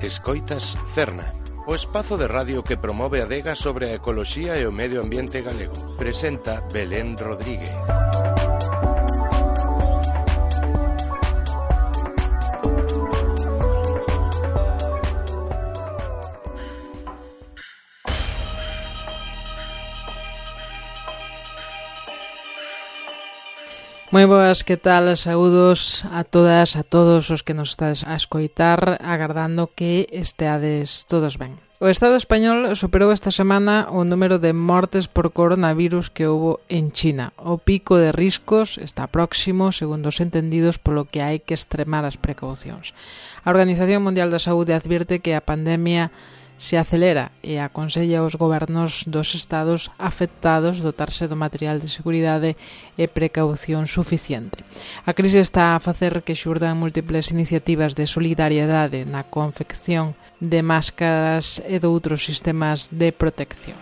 Escoitas Cerna, o espazo de radio que promove a adega sobre a ecoloxía e o medio ambiente galego. Presenta Belén Rodríguez. Moi boas, que tal? Saúdos a todas, a todos os que nos estades a escoitar, agardando que esteades todos ben. O Estado español superou esta semana o número de mortes por coronavirus que houbo en China. O pico de riscos está próximo, segundo os entendidos, polo que hai que extremar as precaucións. A Organización Mundial da Saúde advirte que a pandemia se acelera e aconsella aos gobernos dos estados afectados dotarse do material de seguridade e precaución suficiente. A crise está a facer que xurdan múltiples iniciativas de solidariedade na confección de máscaras e de outros sistemas de protección.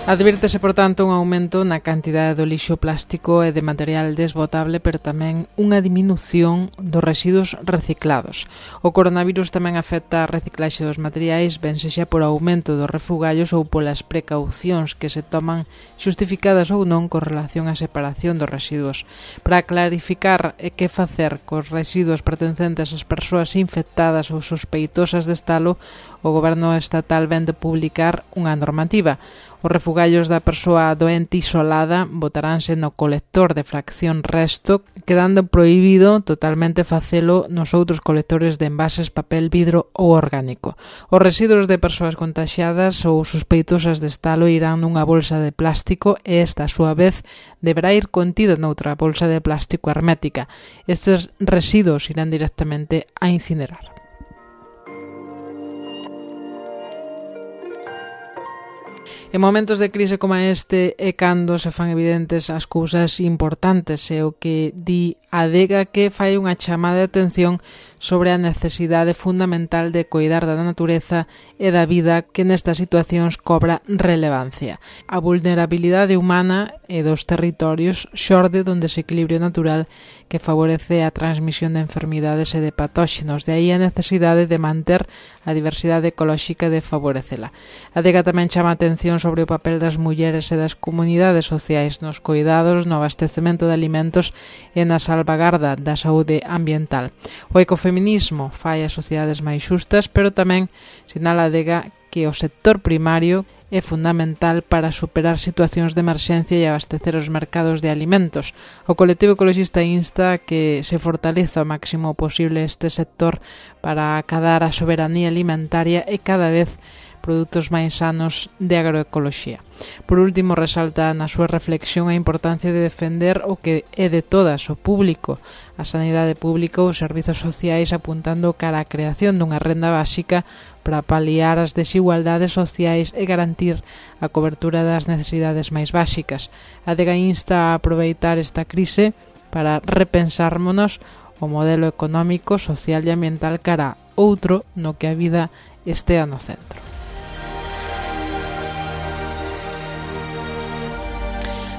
Advírtese, por tanto, un aumento na cantidade do lixo plástico e de material desbotable, pero tamén unha diminución dos residuos reciclados. O coronavirus tamén afecta a reciclaxe dos materiais, ben sexa por aumento dos refugallos ou polas precaucións que se toman, xustificadas ou non, con relación á separación dos residuos. Para clarificar que facer cos residuos pertencentes ás persoas infectadas ou sospeitosas de estalo, o Goberno estatal vén de publicar unha normativa. Os refugallos da persoa doente isolada botaránse no colector de fracción resto, quedando prohibido totalmente facelo nos outros colectores de envases, papel, vidro ou orgánico. Os residuos de persoas contaxiadas ou sospeitosas de estalo irán nunha bolsa de plástico e esta, a súa vez, deberá ir contida noutra bolsa de plástico hermética. Estes residuos irán directamente a incinerar. En momentos de crise como este é cando se fan evidentes as cousas importantes e o que di a adega que fai unha chamada de atención sobre a necesidade fundamental de coidar da natureza e da vida que nestas situacións cobra relevancia. A vulnerabilidade humana e dos territorios xorde dun desequilibrio natural que favorece a transmisión de enfermidades e de patóxenos. De aí a necesidade de manter a diversidade ecolóxica e de favorecela. A adega tamén chama a atención sobre o papel das mulleres e das comunidades sociais nos coidados, no abastecemento de alimentos e na salvagarda da saúde ambiental. O ecofeminismo fai as sociedades máis xustas, pero tamén sinala a adega que o sector primario é fundamental para superar situacións de emerxencia e abastecer os mercados de alimentos. O colectivo ecologista insta que se fortaleza o máximo posible este sector para acadar a soberanía alimentaria e cada vez produtos máis sanos de agroecoloxía. Por último, resalta na súa reflexión a importancia de defender o que é de todas, o público, a sanidade pública, os servizos sociais, apuntando cara á creación dunha renda básica para paliar as desigualdades sociais e garantir a cobertura das necesidades máis básicas. A adega insta a aproveitar esta crise para repensármonos o modelo económico, social e ambiental cara a outro no que a vida estea no centro.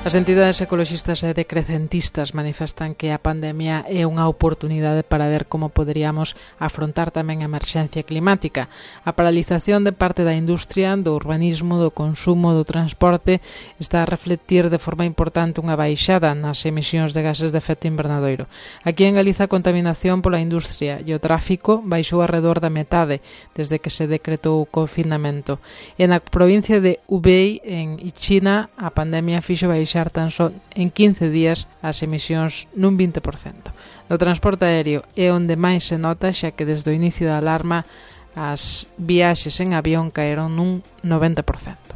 As entidades ecoloxistas e decrecentistas manifestan que a pandemia é unha oportunidade para ver como poderíamos afrontar tamén a emerxencia climática. A paralización de parte da industria, do urbanismo, do consumo, do transporte está a reflectir de forma importante unha baixada nas emisións de gases de efecto invernadoiro. Aquí en Galiza a contaminación pola industria e o tráfico baixou arredor da metade desde que se decretou o confinamento. E na provincia de Hubei, en China, a pandemia fixo baixar tan só en 15 días as emisións nun 20%. No transporte aéreo é onde máis se nota, xa que desde o inicio da alarma as viaxes en avión caeron nun 90%.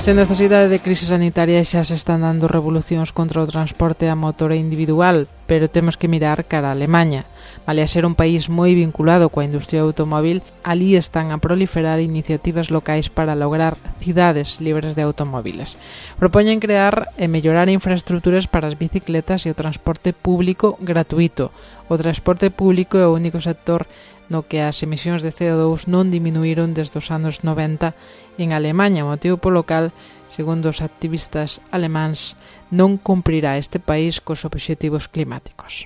Sen necesidade de crise sanitaria xa se están dando revolucións contra o transporte a motor individual, pero temos que mirar cara a Alemaña. Vale a ser un país moi vinculado coa industria automóvil, ali están a proliferar iniciativas locais para lograr cidades libres de automóviles. Propoñen crear e mellorar infraestructuras para as bicicletas e o transporte público gratuito. O transporte público é o único sector no que as emisións de CO2 non diminuíron desde os anos 90 en Alemanha, motivo polo cal, segundo os activistas alemáns, non cumprirá este país cos obxectivos climáticos.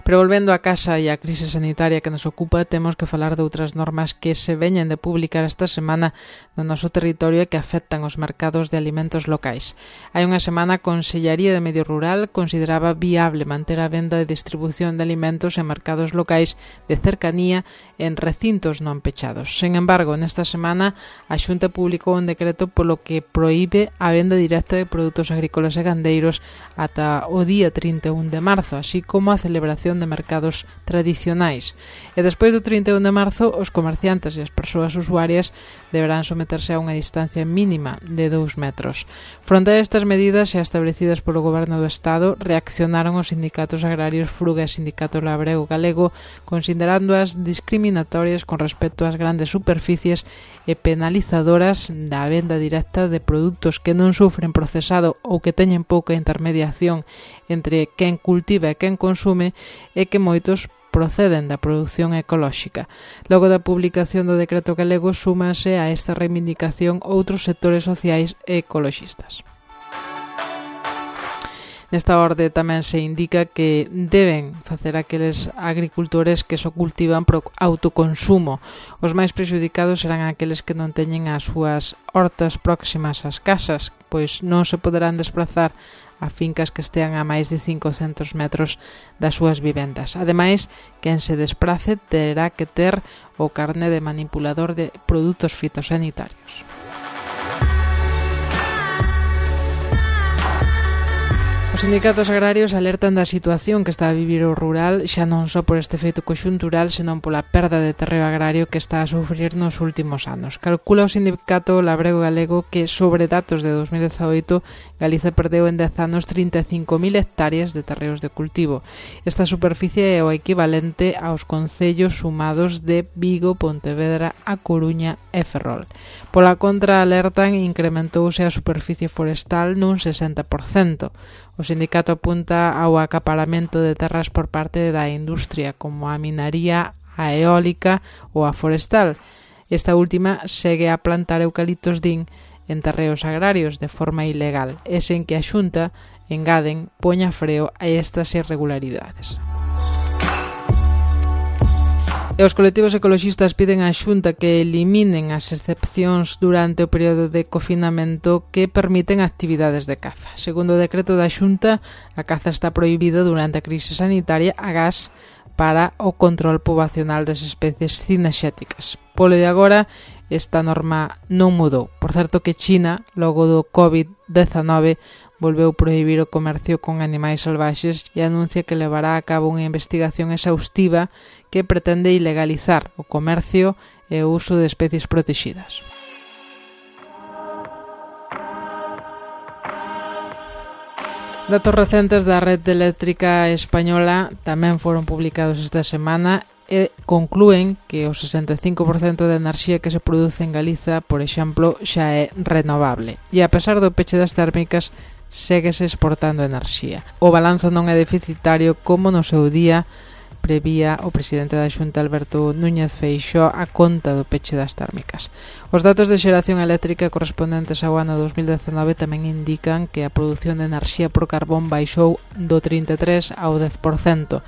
Pero volvendo á casa e á crise sanitaria que nos ocupa, temos que falar de outras normas que se veñen de publicar esta semana no noso territorio e que afectan os mercados de alimentos locais. Hai unha semana a Consellaría de Medio Rural consideraba viable manter a venda e distribución de alimentos en mercados locais de cercanía en recintos non pechados. Sen embargo, nesta semana a Xunta publicou un decreto polo que proíbe a venda directa de produtos agrícolas e gandeiros ata o día 31 de marzo, así como a celebración de mercados tradicionais. E despois do 31 de marzo, os comerciantes e as persoas usuarias deberán someterse a unha distancia mínima de 2 metros. Fronte a estas medidas xa establecidas polo Goberno do Estado, reaccionaron os sindicatos agrarios Fruga e Sindicato Labrego Galego, considerándoas discriminatorias con respecto ás grandes superficies e penalizadoras da venda directa de produtos que non sufren procesado ou que teñen pouca intermediación entre quen cultiva e quen consume e que moitos proceden da produción ecolóxica. Logo da publicación do decreto galego, súmase a esta reivindicación outros sectores sociais e ecoloxistas. Nesta orde tamén se indica que deben facer aqueles agricultores que só cultivan por autoconsumo. Os máis prexudicados serán aqueles que non teñen as súas hortas próximas ás casas, pois non se poderán desplazar a fincas que estean a máis de 500 metros das súas vivendas. Ademais, quen se desprace terá que ter o carné de manipulador de produtos fitosanitarios. Os sindicatos agrarios alertan da situación que está a vivir o rural xa non só por este feito conxuntural, senón pola perda de terreo agrario que está a sufrir nos últimos anos. Calcula o sindicato Labrego Galego que sobre datos de 2018 Galiza perdeu en 10 anos 35.000 hectáreas de terreos de cultivo. Esta superficie é o equivalente aos concellos sumados de Vigo, Pontevedra, A Coruña e Ferrol. Pola contra, alertan, incrementouse a superficie forestal nun 60%. O sindicato apunta ao acaparamento de terras por parte da industria, como a minaría, a eólica ou a forestal. Esta última segue a plantar eucaliptos din en terreos agrarios de forma ilegal, e sen que a Xunta, engaden, poña freo a estas irregularidades. E os colectivos ecoloxistas piden á Xunta que eliminen as excepcións durante o período de confinamento que permiten actividades de caza. Segundo o decreto da Xunta, a caza está prohibida durante a crise sanitaria agás para o control poboacional das especies cinexéticas. Polo de agora, esta norma non mudou. Por certo que China, logo do COVID-19, volveu prohibir o comercio con animais salvaxes e anuncia que levará a cabo unha investigación exhaustiva que pretende ilegalizar o comercio e o uso de especies protegidas. Datos recentes da Rede Eléctrica Española tamén foron publicados esta semana e conclúen que o 65% da enerxía que se produce en Galiza, por exemplo, xa é renovable. E a pesar do peche das térmicas, séguese exportando enerxía. O balanzo non é deficitario como no seu día prevía o presidente da Xunta Alberto Núñez Feixóo a conta do peche das térmicas. Os datos de xeración eléctrica correspondentes ao ano 2019 tamén indican que a produción de enerxía por carbón baixou do 33% ao 10%.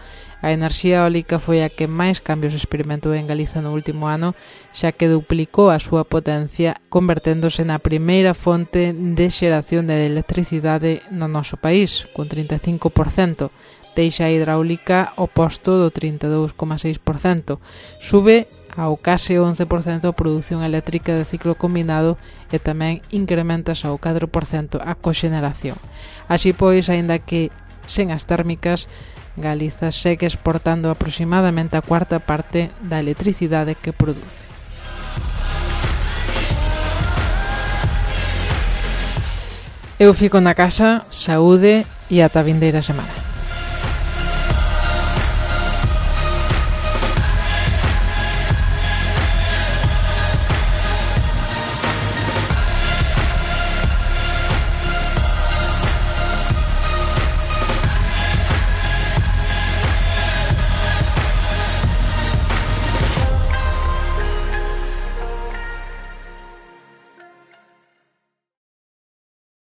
A enerxía eólica foi a que máis cambios experimentou en Galiza no último ano, xa que duplicou a súa potencia, converténdose na primeira fonte de xeración de electricidade no noso país, con 35%. Deixa a hidráulica o posto do 32,6%. Sube ao case 11% a produción eléctrica de ciclo combinado e tamén incrementase ao 4% a coxeneración. Así pois, aínda que sen as térmicas, Galiza segue exportando aproximadamente a cuarta parte da electricidade que produce. Eu fico na casa, saúde e ata a vindeira semana.